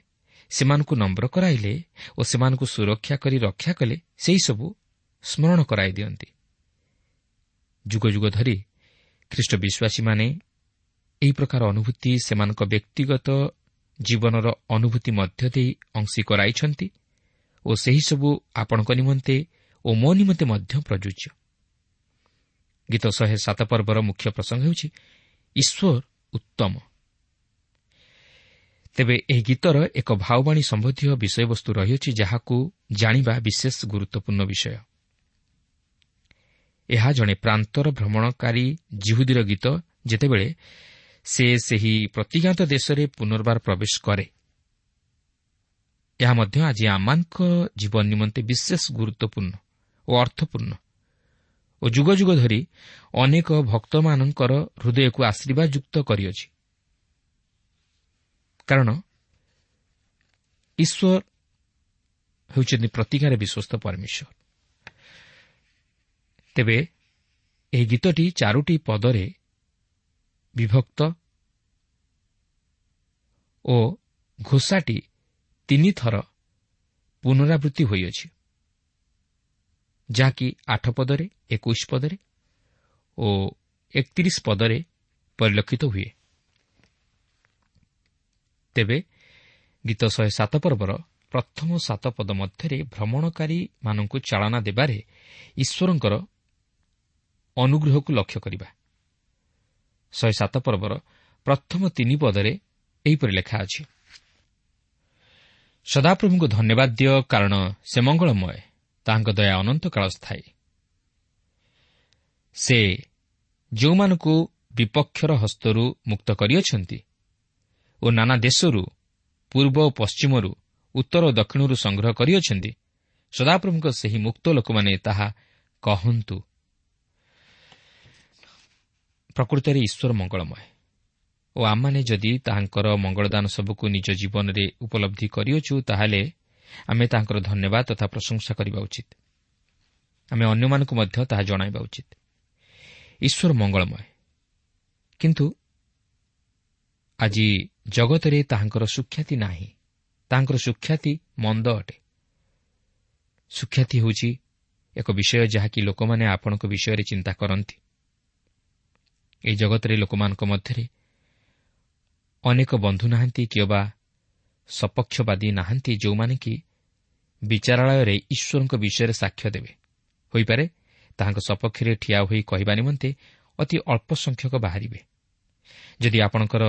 ସେମାନଙ୍କୁ ନମ୍ର କରାଇଲେ ଓ ସେମାନଙ୍କୁ ସୁରକ୍ଷା କରି ରକ୍ଷା କଲେ, ସେହିସବୁ ସ୍ମରଣ କରାଇ ଦିଅନ୍ତି। ଯୁଗ ଯୁଗ ଧରି ଖ୍ରୀଷ୍ଟ ବିଶ୍ୱାସୀମାନେ ଏହି ପ୍ରକାର ଅନୁଭୂତି ସେମାନଙ୍କ ବ୍ୟକ୍ତିଗତ ଜୀବନର ଅନୁଭୂତି ମଧ୍ୟ ଦେଇ ଅଂଶୀ କରାଇଛନ୍ତି ଓ ସେହିସବୁ ଆପଣଙ୍କ ନିମନ୍ତେ ଓ ମୋ ନିମନ୍ତେ ମଧ୍ୟ ପ୍ରଯୁଜ୍ୟ। ଗୀତ 107 ପର୍ବର ମୁଖ୍ୟ ପ୍ରସଙ୍ଗ ହେଉଛି ଈଶ୍ୱର ଉତ୍ତମ। ତେବେ ଏହି ଗୀତର ଏକ ଭାବବାଣୀ ସମ୍ବନ୍ଧୀୟ ବିଷୟବସ୍ତୁ ରହିଅଛି, ଯାହାକୁ ଜାଣିବା ବିଶେଷ ଗୁରୁତ୍ୱପୂର୍ଣ୍ଣ ବିଷୟ। ଏହା ଜଣେ ପ୍ରାନ୍ତର ଭ୍ରମଣକାରୀ ଜିହୁଦୀର ଗୀତ, ଯେତେବେଳେ ସେ ସେହି ପ୍ରତିଜ୍ଞାତ ଦେଶରେ ପୁନର୍ବାର ପ୍ରବେଶ କରେ। ଏହା ମଧ୍ୟ ଆଜି ଆମମାନଙ୍କ ଜୀବନ ନିମନ୍ତେ ବିଶେଷ ଗୁରୁତ୍ୱପୂର୍ଣ୍ଣ ଓ ଅର୍ଥପୂର୍ଣ୍ଣ ଓ ଯୁଗ ଯୁଗ ଧରି ଅନେକ ଭକ୍ତମାନଙ୍କର ହୃଦୟକୁ ଆଶୀର୍ବାଦଯୁକ୍ତ କରିଅଛି। କାରଣ ଈଶ୍ୱର ହେଉଛନ୍ତି ପ୍ରତିଜ୍ଞାରେ ବିଶ୍ୱସ୍ତ ପରମେଶ୍ୱର। ତେବେ ଏହି ଗୀତଟି 4 ପଦରେ ବିଭକ୍ତ ଓ ଘୋଷାଟି 3 ଥର ପୁନରାବୃତ୍ତି ହୋଇଅଛି, ଯାହାକି 8 ପଦରେ, 21 ପଦରେ ଓ 31 ପଦରେ ପରିଲକ୍ଷିତ ହୁଏ। ତେବେ ଗୀତ 107 ପର୍ବର ପ୍ରଥମ 7 ପଦ ମଧ୍ୟରେ ଭ୍ରମଣକାରୀମାନଙ୍କୁ ଚାଳନା ଦେବାରେ ଈଶ୍ୱରଙ୍କର ଅନୁଗ୍ରହକୁ ଲକ୍ଷ୍ୟ କରିବା। 107 ପର୍ବର ପ୍ରଥମ 3 ପଦରେ ଏହିପରି ଲେଖା ଅଛି, ସଦାପ୍ରଭୁଙ୍କୁ ଧନ୍ୟବାଦ ଦିଅ, କାରଣ ସେ ମଙ୍ଗଳମୟ, ତାହାଙ୍କ ଦୟା ଅନନ୍ତକାଳ ସ୍ଥାୟୀ। ସେ ଯେଉଁମାନଙ୍କୁ ବିପକ୍ଷର ହସ୍ତରୁ ମୁକ୍ତ କରିଅଛନ୍ତି ଓ ନାନା ଦେଶରୁ, ପୂର୍ବ ଓ ପଶ୍ଚିମରୁ, ଉତ୍ତର ଓ ଦକ୍ଷିଣରୁ ସଂଗ୍ରହ କରିଅଛନ୍ତି, ସଦାପ୍ରଭୁଙ୍କ ସେହି ମୁକ୍ତ ଲୋକମାନେ ତାହା କହନ୍ତୁ। ପ୍ରକୃତରେ ଈଶ୍ୱର ମଙ୍ଗଳମୟ ଓ ଆମମାନେ ଯଦି ତାହାଙ୍କର ମଙ୍ଗଳଦାନ ସବୁକୁ ନିଜ ଜୀବନରେ ଉପଲବ୍ଧି କରିଅଛୁ, ତାହେଲେ ଆମେ ତାହାଙ୍କର ଧନ୍ୟବାଦ ତଥା ପ୍ରଶଂସା କରିବା ଉଚିତ। ଆମେ ଅନ୍ୟମାନଙ୍କୁ ମଧ୍ୟ ତାହା ଜଣାଇବା ଉଚିତ। ଈଶ୍ୱର ମଙ୍ଗଳମୟ, କିନ୍ତୁ ଆଜି ଜଗତରେ ତାହାଙ୍କର ସୁଖ୍ୟାତି ନାହିଁ। ତାହାଙ୍କର ସୁଖ୍ୟାତି ମନ୍ଦ ଅଟେ। ସୁଖ୍ୟାତି ହେଉଛି ଏକ ବିଷୟ ଯାହାକି ଲୋକମାନେ ଆପଣଙ୍କ ବିଷୟରେ ଚିନ୍ତା କରନ୍ତି। ଏହି ଜଗତରେ ଲୋକମାନଙ୍କ ମଧ୍ୟରେ ଅନେକ ବନ୍ଧୁ ନାହାନ୍ତି କିମ୍ବା ସପକ୍ଷବାଦୀ ନାହାନ୍ତି, ଯେଉଁମାନେ କି ବିଚାରାଳୟରେ ଈଶ୍ୱରଙ୍କ ବିଷୟରେ ସାକ୍ଷ୍ୟ ଦେବେ। ହୋଇପାରେ ତାହାଙ୍କ ସପକ୍ଷରେ ଠିଆ ହୋଇ କହିବା ନିମନ୍ତେ ଅତି ଅଳ୍ପ ସଂଖ୍ୟକ ବାହାରିବେ। ଯଦି ଆପଣଙ୍କର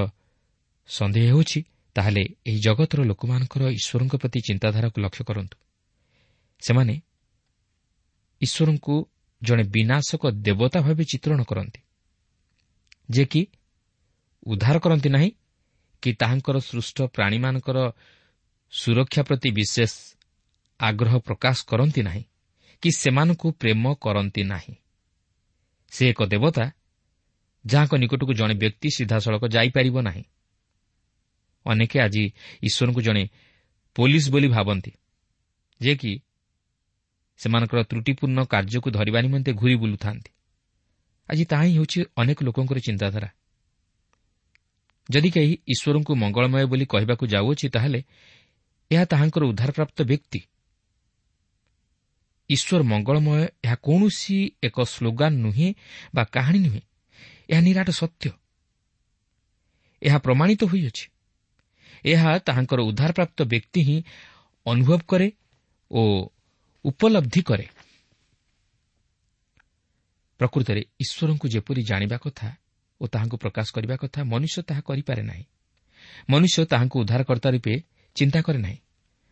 ସନ୍ଦେହ ହେଉଛି, ତାହେଲେ ଏହି ଜଗତର ଲୋକମାନଙ୍କର ଈଶ୍ୱରଙ୍କ ପ୍ରତି ଚିନ୍ତାଧାରାକୁ ଲକ୍ଷ୍ୟ କରନ୍ତୁ। ସେମାନେ ଈଶ୍ୱରଙ୍କୁ ଜଣେ ବିନାଶକ ଦେବତା ଭାବେ ଚିତ୍ରଣ କରନ୍ତି, ଯେ କି ଉଦ୍ଧାର କରନ୍ତି ନାହିଁ କି ତାହାଙ୍କର ସୃଷ୍ଟ ପ୍ରାଣୀମାନଙ୍କର ସୁରକ୍ଷା ପ୍ରତି ବିଶେଷ ଆଗ୍ରହ ପ୍ରକାଶ କରନ୍ତି ନାହିଁ କି ସେମାନଙ୍କୁ ପ୍ରେମ କରନ୍ତି ନାହିଁ। ସେ ଏକ ଦେବତା ଯାହାଙ୍କ ନିକଟକୁ ଜଣେ ବ୍ୟକ୍ତି ସିଧାସଳଖ ଯାଇପାରିବ ନାହିଁ। ଅନେକ ଆଜି ଈଶ୍ୱରଙ୍କୁ ଜଣେ ପୋଲିସ ବୋଲି ଭାବନ୍ତି, ଯେ କି ସେମାନଙ୍କର ତ୍ରୁଟିପୂର୍ଣ୍ଣ କାର୍ଯ୍ୟକୁ ଧରିବା ନିମନ୍ତେ ଘୁରି ବୁଲୁଥାନ୍ତି। ଆଜି ତାହା ହିଁ ହେଉଛି ଅନେକ ଲୋକଙ୍କର ଚିନ୍ତାଧାରା। ଯଦି କେହି ଈଶ୍ୱରଙ୍କୁ ମଙ୍ଗଳମୟ ବୋଲି କହିବାକୁ ଯାଉଅଛି, ତାହେଲେ ଏହା ତାହାଙ୍କର ଉଦ୍ଧାରପ୍ରାପ୍ତ ବ୍ୟକ୍ତି। ଈଶ୍ୱର ମଙ୍ଗଳମୟ ଏହା କୌଣସି ଏକ ସ୍ଲୋଗାନ ନୁହେଁ ବା କାହାଣୀ ନୁହେଁ, ଏହା ନିରାଟ ସତ୍ୟ। ଏହା ପ୍ରମାଣିତ ହୋଇଅଛି। ଏହା ତାହାଙ୍କର ଉଦ୍ଧାରପ୍ରାପ୍ତ ବ୍ୟକ୍ତି ହିଁ ଅନୁଭବ କରେ ଓ ଉପଲବ୍ଧି କରେ। ପ୍ରକୃତରେ ଈଶ୍ୱରଙ୍କୁ ଯେପରି ଜାଣିବା କଥା ଓ ତାହାଙ୍କୁ ପ୍ରକାଶ କରିବା କଥା, ମନୁଷ୍ୟ ତାହା କରିପାରେ ନାହିଁ। ମନୁଷ୍ୟ ତାହାଙ୍କୁ ଉଦ୍ଧାରକର୍ତ୍ତା ରୂପେ ଚିନ୍ତା କରେ ନାହିଁ,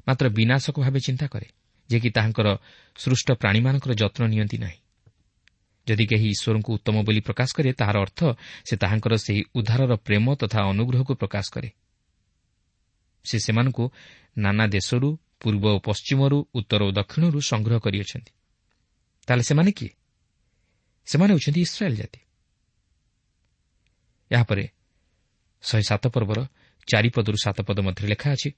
ମାତ୍ର ବିନାଶକ ଭାବେ ଚିନ୍ତା କରେ, ଯେ କି ତାହାଙ୍କର ସୃଷ୍ଟ ପ୍ରାଣୀମାନଙ୍କର ଯତ୍ନ ନିଅନ୍ତି ନାହିଁ। ଯଦି କେହି ଈଶ୍ୱରଙ୍କୁ ଉତ୍ତମ ବୋଲି ପ୍ରକାଶ କରେ, ତାହାର ଅର୍ଥ ସେ ତାହାଙ୍କର ସେହି ଉଦ୍ଧାରର ପ୍ରେମ ତଥା ଅନୁଗ୍ରହକୁ ପ୍ରକାଶ କରେ। ସେ ସେମାନଙ୍କୁ ନାନା ଦେଶରୁ, ପୂର୍ବ ଓ ପଶ୍ଚିମରୁ, ଉତ୍ତର ଓ ଦକ୍ଷିଣରୁ ସଂଗ୍ରହ କରିଅଛନ୍ତି। ତାହେଲେ ସେମାନେ କିଏ? ସେମାନେ ହେଉଛନ୍ତି ଇସ୍ରାଏଲ୍ ଜାତି। ଏହାପରେ 107 ପର୍ବର 4 ପଦରୁ 7 ପଦ ମଧ୍ୟରେ ଲେଖା ଅଛି,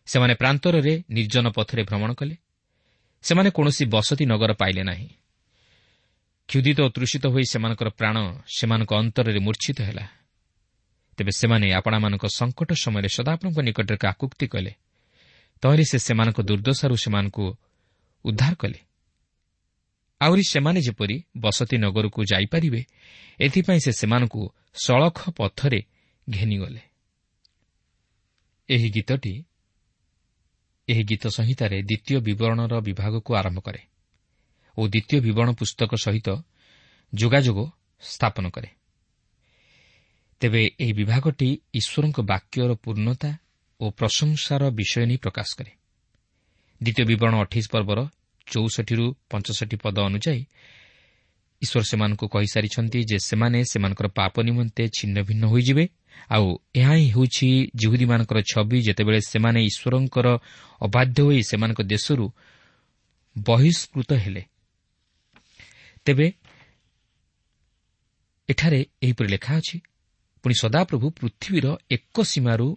ସେମାନେ ପ୍ରାନ୍ତରରେ ନିର୍ଜନ ପଥରେ ଭ୍ରମଣ କଲେ, ସେମାନେ କୌଣସି ବସତି ନଗର ପାଇଲେ ନାହିଁ। କ୍ଷୁଧିତ ଓ ତୃଷିତ ହୋଇ ସେମାନଙ୍କର ପ୍ରାଣ ସେମାନଙ୍କ ଅନ୍ତରରେ ମୂର୍ଚ୍ଛିତ ହେଲା। ତେବେ ସେମାନେ ଆପଣାମାନଙ୍କ ସଙ୍କଟ ସମୟରେ ସଦାପ୍ରଭୁଙ୍କ ନିକଟରେ କାକୁକ୍ତି କଲେ, ତହିଁରେ ସେ ସେମାନଙ୍କ ଦୁର୍ଦ୍ଦଶାରୁ ସେମାନଙ୍କୁ ଉଦ୍ଧାର କଲେ। ଆହୁରି ସେମାନେ ଯେପରି ବସତି ନଗରକୁ ଯାଇପାରିବେ, ଏଥିପାଇଁ ସେ ସେମାନଙ୍କୁ ସଳଖ ପଥରେ ଘେନିଗଲେ। ଏହି ଗୀତଟି ଏହି ଗୀତ ସଂହିତାରେ ଦ୍ୱିତୀୟ ବିବରଣର ବିଭାଗକୁ ଆରମ୍ଭ କରେ ଓ ଦ୍ୱିତୀୟ ବିବରଣ ପୁସ୍ତକ ସହିତ ଯୋଗାଯୋଗ ସ୍ଥାପନ କରେ। ତେବେ ଏହି ବିଭାଗଟି ଈଶ୍ୱରଙ୍କ ବାକ୍ୟର ପୂର୍ଣ୍ଣତା ଓ ପ୍ରଶଂସାର ବିଷୟ ନେଇ ପ୍ରକାଶ କରେ। ଦ୍ୱିତୀୟ ବିବରଣ 28 ପର୍ବର 64ରୁ 65 ପଦ ଅନୁଯାୟୀ ଈଶ୍ୱର ସେମାନଙ୍କୁ କହିସାରିଛନ୍ତି ଯେ ସେମାନେ ସେମାନଙ୍କର ପାପ ନିମନ୍ତେ ଛିନ୍ନ ଭିନ୍ନ ହୋଇଯିବେ। ଆଉ ଏହା ହିଁ ହେଉଛି ଯିହୁଦୀମାନଙ୍କର ଛବି, ଯେତେବେଳେ ସେମାନେ ଈଶ୍ୱରଙ୍କର ଅବାଧ୍ୟ ହୋଇ ସେମାନଙ୍କ ଦେଶରୁ ବହିଷ୍କୃତ ହେଲେ। ତେବେ ଏଠାରେ ଏହିପରି ଲେଖା ଅଛି, ପୁଣି ସଦାପ୍ରଭୁ ପୃଥିବୀର ଏକ ସୀମାରୁ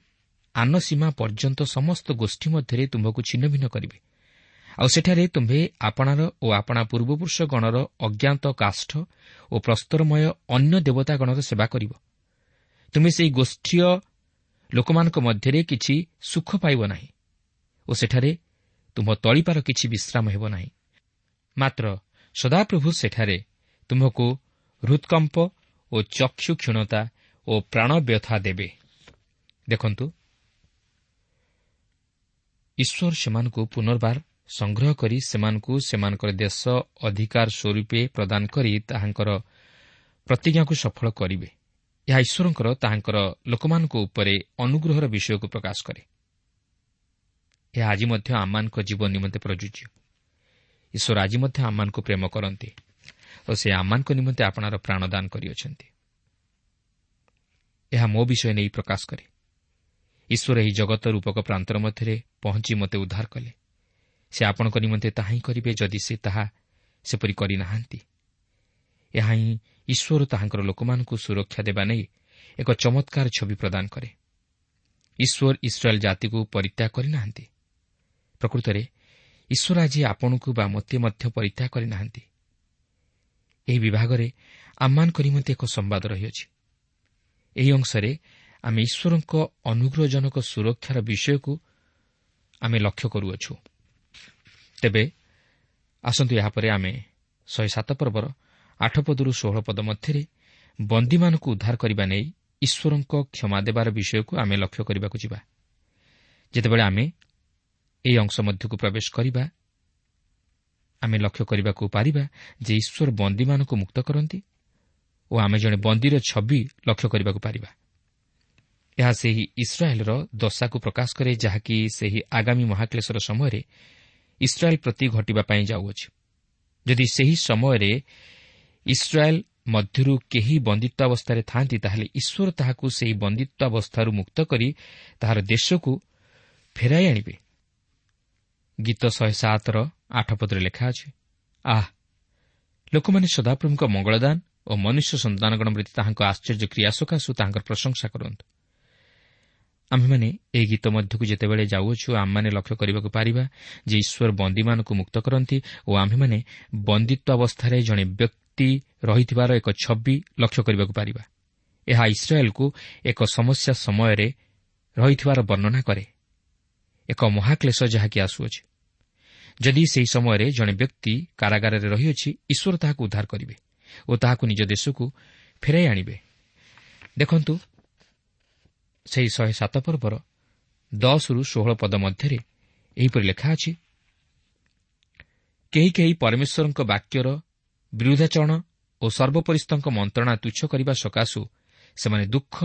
ଆନ ସୀମା ପର୍ଯ୍ୟନ୍ତ ସମସ୍ତ ଗୋଷ୍ଠୀ ମଧ୍ୟରେ ତୁମ୍ଭକୁ ଛିନ୍ନ ଭିନ୍ନ କରିବେ। ଆଉ ସେଠାରେ ତୁମ୍ଭେ ଆପଣାର ଓ ଆପଣା ପୂର୍ବପୁରୁଷ ଗଣର ଅଜ୍ଞାତ କାଷ୍ଠ ଓ ପ୍ରସ୍ତରମୟ ଅନ୍ୟ ଦେବତାଗଣର ସେବା କରିବ। ତୁମେ ସେହି ଗୋଷ୍ଠୀୟ ଲୋକମାନଙ୍କ ମଧ୍ୟରେ କିଛି ସୁଖ ପାଇବ ନାହିଁ ଓ ସେଠାରେ ତୁମ୍ଭ ତଳିପାର କିଛି ବିଶ୍ରାମ ହେବ ନାହିଁ। ମାତ୍ର ସଦାପ୍ରଭୁ ସେଠାରେ ତୁମ୍ଭକୁ ହୃତ୍କମ୍ପ ଓ ଚକ୍ଷୁ କ୍ଷୀଣତା ଓ ପ୍ରାଣବ୍ୟଥା ଦେବେ। ଦେଖନ୍ତୁ, ଈଶ୍ୱର ସେମାନଙ୍କୁ ପୁନର୍ବାର ସଂଗ୍ରହ କରି ସେମାନଙ୍କୁ ସେମାନଙ୍କର ଦେଶ ଅଧିକାର ସ୍ୱରୂପେ ପ୍ରଦାନ କରି ତାହାଙ୍କର ପ୍ରତିଜ୍ଞାକୁ ସଫଳ କରିବେ। ଏହା ଈଶ୍ୱରଙ୍କର ତାହାଙ୍କର ଲୋକମାନଙ୍କ ଉପରେ ଅନୁଗ୍ରହର ବିଷୟକୁ ପ୍ରକାଶ କରେ। ଏହା ଆଜି ମଧ୍ୟ ଆମମାନଙ୍କ ଜୀବନ ନିମନ୍ତେ ପ୍ରଯୁଜ୍ୟ। ଈଶ୍ୱର ଆଜି ମଧ୍ୟ ଆମମାନଙ୍କୁ ପ୍ରେମ କରନ୍ତି ଓ ସେ ଆମମାନଙ୍କ ନିମନ୍ତେ ଆପଣାର ପ୍ରାଣଦାନ କରିଅଛନ୍ତି। ଏହା ମୋ ବିଷୟ ନେଇ ପ୍ରକାଶ କରେ। ଈଶ୍ୱର ଏହି ଜଗତ ରୂପକ ପ୍ରାନ୍ତର ମଧ୍ୟରେ ପହଞ୍ଚି ମୋତେ ଉଦ୍ଧାର କଲେ। ସେ ଆପଣଙ୍କ ନିମନ୍ତେ ତାହା ହିଁ କରିବେ ଯଦି ସେ ତାହା ସେପରି କରିନାହାନ୍ତି। ଏହା ହିଁ ଈଶ୍ୱର ତାହାଙ୍କର ଲୋକମାନଙ୍କୁ ସୁରକ୍ଷା ଦେବା ନେଇ ଏକ ଚମତ୍କାର ଛବି ପ୍ରଦାନ କରେ। ଈଶ୍ୱର ଇସ୍ରାଏଲ୍ ଜାତିକୁ ପରିତ୍ୟାଗ କରିନାହାନ୍ତି। ପ୍ରକୃତରେ ଈଶ୍ୱର ଆଜି ଆପଣଙ୍କୁ ବା ମୋତେ ମଧ୍ୟ ପରିତ୍ୟାଗ କରିନାହାନ୍ତି। ଏହି ବିଭାଗରେ ଆମମାନଙ୍କ ନିମନ୍ତେ ଏକ ସମ୍ବାଦ ରହିଅଛି। ଏହି ଅଂଶରେ ଆମେ ଈଶ୍ୱରଙ୍କ ଅନୁଗ୍ରହଜନକ ସୁରକ୍ଷାର ବିଷୟକୁ ଆମେ ଲକ୍ଷ୍ୟ କରୁଅଛୁ। ତେବେ ଆସନ୍ତୁ ଏହାପରେ ଆମେ 107 ପର୍ବର 8 ପଦରୁ 16 ପଦ ମଧ୍ୟରେ ବନ୍ଦୀମାନଙ୍କୁ ଉଦ୍ଧାର କରିବା ନେଇ ଈଶ୍ୱରଙ୍କ କ୍ଷମା ଦେବାର ବିଷୟକୁ ଆମେ ଲକ୍ଷ୍ୟ କରିବାକୁ ଯିବା। ଯେତେବେଳେ ଆମେ ଏହି ଅଂଶ ମଧ୍ୟକୁ ପ୍ରବେଶ କରିବା, ଆମେ ଲକ୍ଷ୍ୟ କରିବାକୁ ପାରିବା ଯେ ଈଶ୍ୱର ବନ୍ଦୀମାନଙ୍କୁ ମୁକ୍ତ କରନ୍ତି ଓ ଆମେ ଜଣେ ବନ୍ଦୀର ଛବି ଲକ୍ଷ୍ୟ କରିବାକୁ ପାରିବା। ଏହା ସେହି ଇସ୍ରାଏଲ୍ର ଦଶାକୁ ପ୍ରକାଶ କରେ, ଯାହାକି ସେହି ଆଗାମୀ ମହାକ୍ଲେଶର ସମୟରେ ଇସ୍ରାଏଲ୍ ପ୍ରତି ଘଟିବା ପାଇଁ ଯାଉଅଛି। ଯଦି ସେହି ସମୟରେ ଇସ୍ରାଏଲ୍ ମଧ୍ୟରୁ କେହି ବନ୍ଦିତ୍ୱାବସ୍ଥାରେ ଥାଆନ୍ତି, ତାହେଲେ ଈଶ୍ୱର ତାହାକୁ ସେହି ବନ୍ଦିତ୍ୱାବସ୍ଥାରୁ ମୁକ୍ତ କରି ତାହାର ଦେଶକୁ ଫେରାଇ ଆଣିବେ। ଗୀତ 107ର 8 ପଦରେ ଲେଖା ଅଛି, ଆଃ, ଲୋକମାନେ ସଦାପ୍ରଭୁଙ୍କ ମଙ୍ଗଳଦାନ ଓ ମନୁଷ୍ୟ ସନ୍ତାନଗଣ ପ୍ରତି ତାହାଙ୍କ ଆଶ୍ଚର୍ଯ୍ୟ କ୍ରିୟା ସକାଶୁ ତାହାଙ୍କର ପ୍ରଶଂସା କରନ୍ତୁ। ଆମ୍ଭେମାନେ ଏହି ଗୀତ ମଧ୍ୟକୁ ଯେତେବେଳେ ଯାଉଅଛୁ, ଆମମାନେ ଲକ୍ଷ୍ୟ କରିବାକୁ ପାରିବା ଯେ ଈଶ୍ୱର ବନ୍ଦୀମାନଙ୍କୁ ମୁକ୍ତ କରନ୍ତି ଓ ଆମ୍ଭେମାନେ ବନ୍ଦିତ୍ୱାବସ୍ଥାରେ ଜଣେ ବ୍ୟକ୍ତି ରହିଥିବାର ଏକ ଛବି ଲକ୍ଷ୍ୟ କରିବାକୁ ପାରିବା। ଏହା ଇସ୍ରାଏଲ୍କୁ ଏକ ସମସ୍ୟା ସମୟରେ ରହିଥିବାର ବର୍ଣ୍ଣନା କରେ, ଏକ ମହାକ୍ଲେଶ ଯାହାକି ଆସୁଅଛି। ଯଦି ସେହି ସମୟରେ ଜଣେ ବ୍ୟକ୍ତି କାରାଗାରରେ ରହିଅଛି, ଈଶ୍ୱର ତାହାକୁ ଉଦ୍ଧାର କରିବେ ଓ ତାହାକୁ ନିଜ ଦେଶକୁ ଫେରାଇ ଆଣିବେ। ଦେଖନ୍ତୁ, ସେହି 107 ପର୍ବର 10ରୁ 16 ପଦ ମଧ୍ୟରେ ଏହିପରି ଲେଖା ଅଛି, କେହି କେହି ପରମେଶ୍ୱରଙ୍କ ବାକ୍ୟର ବିରୁଦ୍ଧାଚରଣ ଓ ସର୍ବୋପରିସ୍ଥଙ୍କ ମନ୍ତ୍ରଣା ତୁଚ୍ଛ କରିବା ସକାଶୁ ସେମାନେ ଦୁଃଖ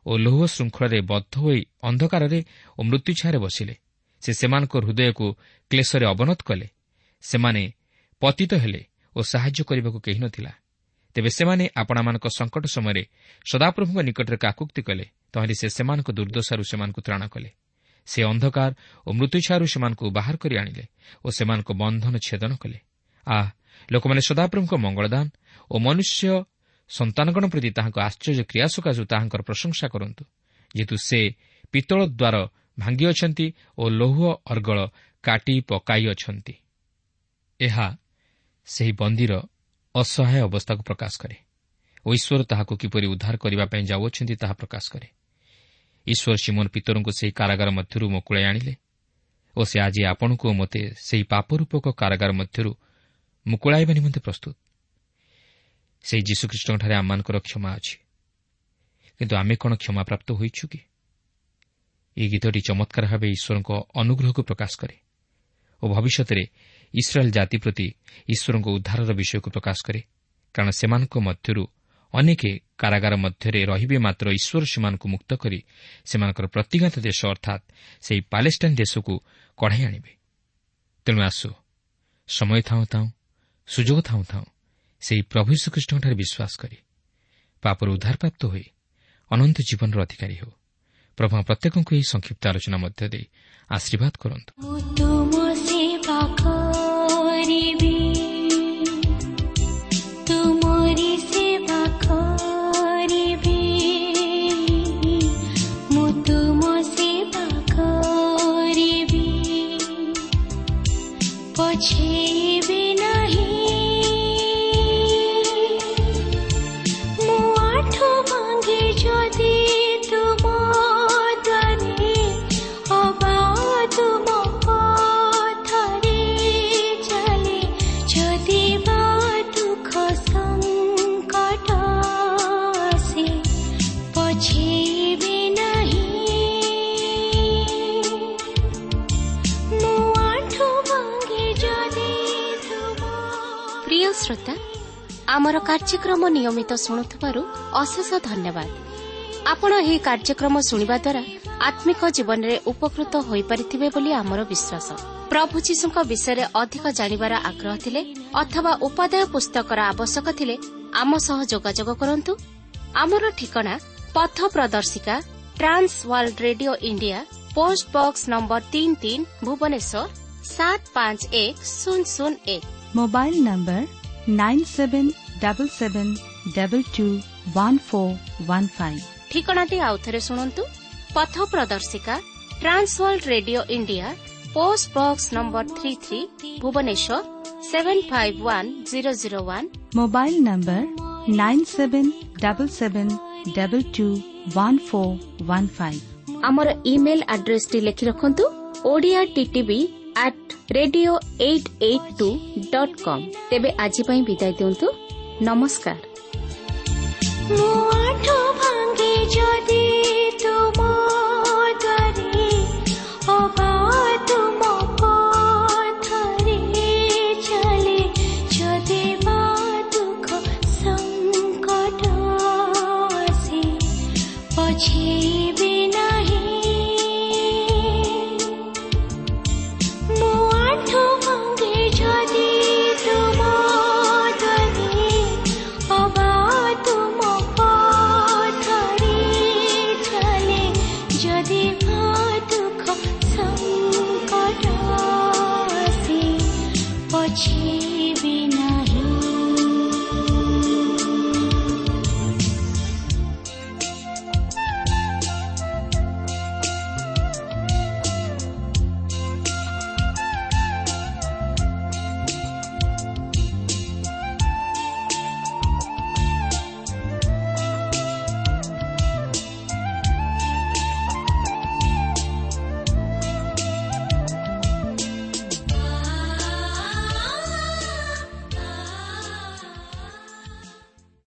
ଓ ଲୌହ ଶୃଙ୍ଖଳରେ ବଦ୍ଧ ହୋଇ ଅନ୍ଧକାରରେ ଓ ମୃତ୍ୟୁଛାୟାରେ ବସିଲେ। ସେ ସେମାନଙ୍କ ହୃଦୟକୁ କ୍ଲେଶରେ ଅବନତ କଲେ। ସେମାନେ ପତିତ ହେଲେ ଓ ସାହାଯ୍ୟ କରିବାକୁ କେହି ନଥିଲା। ତେବେ ସେମାନେ ଆପଣାମାନଙ୍କ ସଙ୍କଟ ସମୟରେ ସଦାପ୍ରଭୁଙ୍କ ନିକଟରେ କାକୁକ୍ତି କଲେ। ତହିଁରେ ସେ ସେମାନଙ୍କ ଦୁର୍ଦ୍ଦଶାରୁ ସେମାନଙ୍କୁ ତ୍ରାଣ କଲେ। ସେ ଅନ୍ଧକାର ଓ ମୃତ୍ୟୁଛାୟାରୁ ସେମାନଙ୍କୁ ବାହାର କରି ଆଣିଲେ ଓ ସେମାନଙ୍କ ବନ୍ଧନ ଛେଦନ କଲେ। ଆଃ, ଲୋକମାନେ ସଦାପ୍ରଭୁଙ୍କ ମଙ୍ଗଳଦାନ ଓ ମନୁଷ୍ୟ ସନ୍ତାନଗଣ ପ୍ରତି ତାହାଙ୍କ ଆଶ୍ଚର୍ଯ୍ୟ କ୍ରିୟା ସକାଶୁ ତାହାଙ୍କର ପ୍ରଶଂସା କରନ୍ତୁ। ଯେହେତୁ ସେ ପିତ୍ତଳ ଦ୍ୱାର ଭାଙ୍ଗିଅଛନ୍ତି ଓ ଲୌହ ଅର୍ଗଳ କାଟି ପକାଇଅଛନ୍ତି। ଏହା ସେହି ବନ୍ଦୀର ଅସହାୟ ଅବସ୍ଥାକୁ ପ୍ରକାଶ କରେ ଓ ଈଶ୍ୱର ତାହାକୁ କିପରି ଉଦ୍ଧାର କରିବା ପାଇଁ ଯାଉଅଛନ୍ତି ତାହା ପ୍ରକାଶ କରେ। ଈଶ୍ୱର ସିମୋନ ପିତରଙ୍କୁ ସେହି କାରାଗାର ମଧ୍ୟରୁ ମୁକୁଳାଇ ଆଣିଲେ ଓ ସେ ଆଜି ଆପଣଙ୍କୁ ଓ ମୋତେ ସେହି ପାପରୂପକ କାରାଗାର ମଧ୍ୟରୁ ମୁକୁଳାଇବା ନିମନ୍ତେ ପ୍ରସ୍ତୁତ। ସେହି ଯୀଶୁଖ୍ରୀଷ୍ଟଙ୍କଠାରେ ଆମମାନଙ୍କର କ୍ଷମା ଅଛି, କିନ୍ତୁ ଆମେ କ'ଣ କ୍ଷମାପ୍ରାପ୍ତ ହୋଇଛୁ କି? ଏହି ଗୀତଟି ଚମତ୍କାର ଭାବେ ଈଶ୍ୱରଙ୍କ ଅନୁଗ୍ରହକୁ ପ୍ରକାଶ କରେ ଓ ଭବିଷ୍ୟତରେ ଇସ୍ରାଏଲ୍ ଜାତି ପ୍ରତି ଈଶ୍ୱରଙ୍କ ଉଦ୍ଧାରର ବିଷୟକୁ ପ୍ରକାଶ କରେ, କାରଣ ସେମାନଙ୍କ ମଧ୍ୟରୁ ଅନେକ କାରାଗାର ମଧ୍ୟରେ ରହିବେ, ମାତ୍ର ଈଶ୍ୱର ସେମାନଙ୍କୁ ମୁକ୍ତ କରି ସେମାନଙ୍କର ପ୍ରତିଜ୍ଞାତ ଦେଶ ଅର୍ଥାତ୍ ସେହି ପାଲେଷ୍ଟାଇନ୍ ଦେଶକୁ କଢ଼ାଇ ଆଣିବେ। ତେଣୁ ଆସୁ, ସମୟ ଥାଉଁ ଥାଉଁ, ସୁଯୋଗ ଥାଉଁ ଥାଉଁ ସେହି ପ୍ରଭୁ ଯୀଶୁଖ୍ରୀଷ୍ଟଙ୍କଠାରେ ବିଶ୍ୱାସ କରି ପାପରୁ ଉଦ୍ଧାରପ୍ରାପ୍ତ ହୋଇ ଅନନ୍ତ ଜୀବନର ଅଧିକାରୀ ହେଉ। ପ୍ରଭୁ ପ୍ରତ୍ୟେକଙ୍କୁ ଏହି ସଂକ୍ଷିପ୍ତ ଆଲୋଚନା ମଧ୍ୟ ଦେଇ ଆଶୀର୍ବାଦ କରନ୍ତୁ। ଶ୍ରୋତା, ଆମର କାର୍ଯ୍ୟକ୍ରମ ନିୟମିତ ଶୁଣୁଥିବାରୁ ଅଶେଷ ଧନ୍ୟବାଦ। ଆପଣ ଏହି କାର୍ଯ୍ୟକ୍ରମ ଶୁଣିବା ଦ୍ୱାରା ଆତ୍ମିକ ଜୀବନରେ ଉପକୃତ ହୋଇପାରିଥିବେ ବୋଲି ଆମର ବିଶ୍ୱାସ। ପ୍ରଭୁ ଯୀଶୁଙ୍କ ବିଷୟରେ ଅଧିକ ଜାଣିବାର ଆଗ୍ରହ ଥିଲେ ଅଥବା ଉପାଦେୟ ପୁସ୍ତକର ଆବଶ୍ୟକ ଥିଲେ ଆମ ସହ ଯୋଗାଯୋଗ କରନ୍ତୁ। ଆମର ଠିକଣା ପଥ ପ୍ରଦର୍ଶିକା, Trans World Radio India, post box number 33, Bhubaneswar 751001। Mobile number 9777221415। ଠିକଣାଟି ଆଉଥରେ ଶୁଣନ୍ତୁ। ପଥ ପ୍ରଦର୍ଶିକା, Trans World Radio India, post box number 33, Bhubaneswar 751001। Mobile number 9777221415। ଆମର ଇମେଲ୍ ଆଡ୍ରେସଟି ଲେଖି ରଖନ୍ତୁ, Odia TTV @radio882.com। ତେବେ ଆଜି ପାଇଁ ବିଦାୟ ଦିଅନ୍ତୁ। ନମସ୍କାର। ମୁଁ ଆଠ